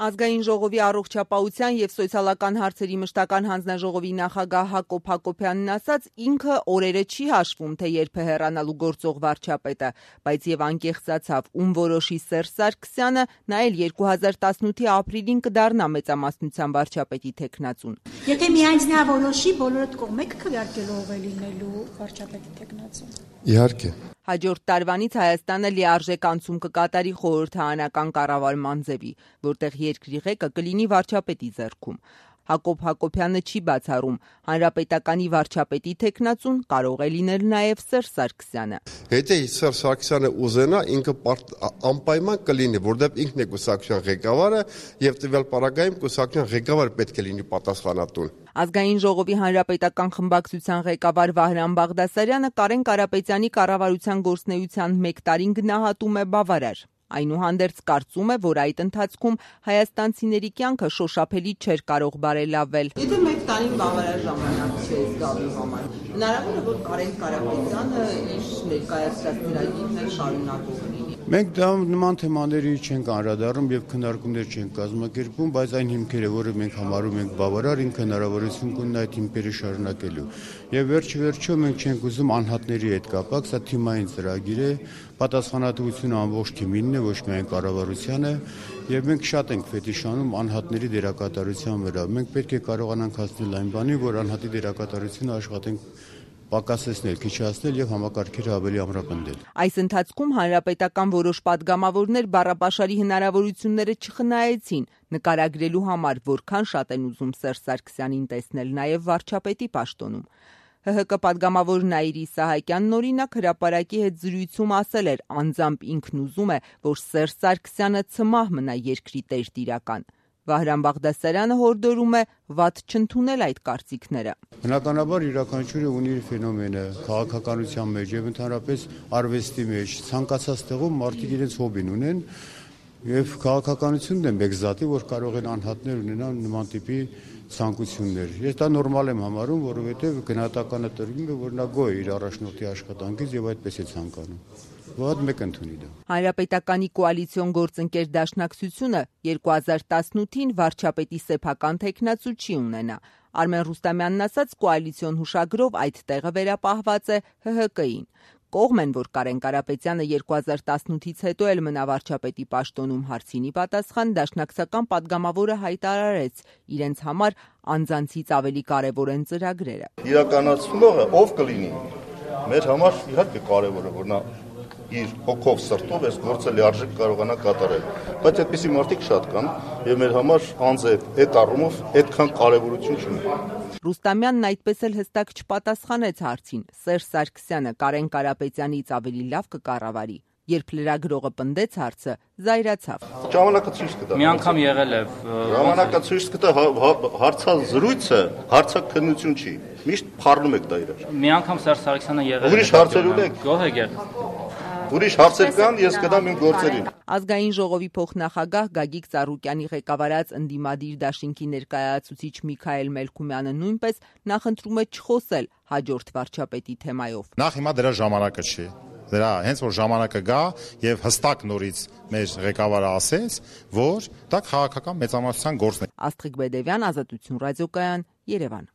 Ազգային ժողովի առողջապահության և սոցիալական հարցերի մշտական հանձնաժողովի նախագահ Հակոբ Հակոբյանն ասաց, ինքը օրերը չի հաշվում, թե երբ է հեռանալու գործող վարչապետը, բայց եւ անկեղծացավ, ում որոշի Սերժ Սարգսյանը, նա էլ 2018-ի ապրիլին կդառնա մեծամասնության վարչապետի թեկնածուն։ Եթե միայն նա որոշի, բոլորդ կողմեք քվեարկելու ով է լինելու վարչապետի թեկնածուն։ Իհարկե։ Հաջորդ տարվանից Հայաստանը լիարժեք անցում կկատարի խորհրդարանական կառավարման ձևի, որտեղ երկրի ղեկը կլինի վարչապետի ձեռքում։ Հակոբ Հակոբյանը չի բացառում, հանրապետականի վարչապետի թեկնածուն կարող է լինել նաև Սերժ Սարգսյանը։ Եթե Սերժ Սարգսյանը ուզենա, ինքը անպայման կլինի, որտեղ ինքն է կուսակցության ղեկավարը եւ տվյալ պարագայում կուսակցության ղեկավարը պետք է լինի պատասխանատուն։ Ազգային ժողովի հանրապետական խմբակցության ղեկավար Վահրամ Բաղդասարյանը Կարեն Կարապետյանի կառավարության գործունեության 1 տարին գնահատում է բավարար։ Այնուհանդերձ կարծում է, որ այդ ընթացքում հայաստանցիների կյանքը շոշափելի չէր կարող բարելավել։ Եթե 1 տարին բավարար ժամանակ չէ զգալու համար, հնարավոր է, որ Կարեն Կարապետյանը իր ներկայացրած ծրագիրն էլ շարունակող լինի։ Մենք դա նման թեմաների չենք անդրադառնում եւ քննարկումներ չենք կազմակերպում, բայց այն հիմքերը, որը մենք համարում ենք բավարար, ինքը հնարավորություն կունենա այդ հիմքերը շարունակելու։ Եվ վերջ-վերջո մենք չենք ուզում անհատների հետ կապակ, սա թիմային ծրագիր է, պատասխանատվությունը ամբողջ թիմինն է, ոչ միայն կառավարությանը, եւ մենք շատ ենք ֆետիշանում անհատների դերակատարության վրա։ Մենք պետք է կարողանանք հասնել այն բանի, որ անհատի դերակատարությունը աշխատենք պակասեցնել, քիչացնել եւ համակարգերը ավելի ամրապնդել։ Այս ընթացքում հանրապետական որոշ падգամավորներ բառապաշարի հնարավորությունները չխնայեցին, նկարագրելու համար, որքան շատ են ուզում Սերժ Սարգսյանին տեսնել նաեւ վարչապետի պաշտոնում։ ՀՀԿ падգամավոր Նաիրի Սահակյանն օրինակ հրապարակի հետ զրույցում ասել էր, անձամբ ինքն ուզում է, որ Սերժ Սարգսյանը ցմահ մնա երկրի տերտիրական։ Վահրամ Բաղդասարյանը հորդորում է վատ չընդունել այդ կարծիքները։ Բնականաբար յուրաքանչյուրը ունի իր ֆենոմենը, քաղաքականության մեջ եւ ընդհանրապես արվեստի մեջ, ցանկացած տեղում մարդիկ իրենց հոբին ունեն եւ քաղաքականությունն է մեկ զատի, որ կարող են անհատներ ունենալ նման տիպի ցանկություններ։ Ես դա նորմալ եմ համարում, որովհետեւ գնահատականը տրվում է, որ նա գոհ է իր առաջնորդի աշխատանքից եւ այդպես է ցանկանում։ Ոդ մեկ ընդունի դա։ Հանրապետականի կոալիցիոն գործընկեր դաշնակցությունը 2018-ին վարչապետի սեփական թեկնածու չի ունենա։ Արմեն Ռուստամյանն ասաց, կոալիցիոն հուշագրով այդ տեղը վերապահված է ՀՀԿ-ին։ Կողմ են, որ Կարեն Կարապետյանը 2018-ից հետո էլ մնա վարչապետի պաշտոնում հարցինի պատասխան դաշնակցական падգամավորը հայտարարեց, իրենց համար անձանցից ավելի կարևոր են ծրագրերը։ Իրականացնողը ով կլինի։ Մեր համար իհարկե կարևոր է, որ նա իր հոգով սրտով այս գործը լիարժեք կարողանա կատարել, բայց այդպիսի մարդիկ շատ կան եւ մեր համար անձը այդ առումով այդքան կարեւորություն չունի։ Ռուստամյանն այդպես էլ հստակ չպատասխանեց հարցին։ Սերժ Սարգսյանը Կարեն Կարապետյանից ավելի լավ կկառավարի։ Երբ լրագրողը պնդեց հարցը, զայրացավ։ Ժամանակը ցույց կտա։ Մի անգամ եղել է։ Ժամանակը ցույց կտա հարցազրույցը, հարցաքննություն չի։ Միշտ փառնում եք դա իրար։ Մի անգամ Սերժ Սարգսյանը եղել է։ Ուրիշ հարցեր ունեք։ Գոհ եք եղել։ Ուրիշ հարցեր կան, ես կդամ իմ գործերին։ Ազգային ժողովի փոխնախագահ Գագիկ Ծառուկյանի ղեկավարած ընդդիմադիր դաշինքի ներկայացուցիչ Միքայել Մելքումյանը նույնպես նախընտրում է չխոսել հաջորդ վարչապետի թեմայով։ Նախ հիմա դրա ժամանակը չի։ Դրա հենց որ ժամանակը գա եւ հստակ նորից մեր ղեկավարը ասեց, որ դա քաղաքական մեծամասնության գործն է։ Աստղիկ Բեդևյան, Ազատություն ռադիոկայան, Երևան։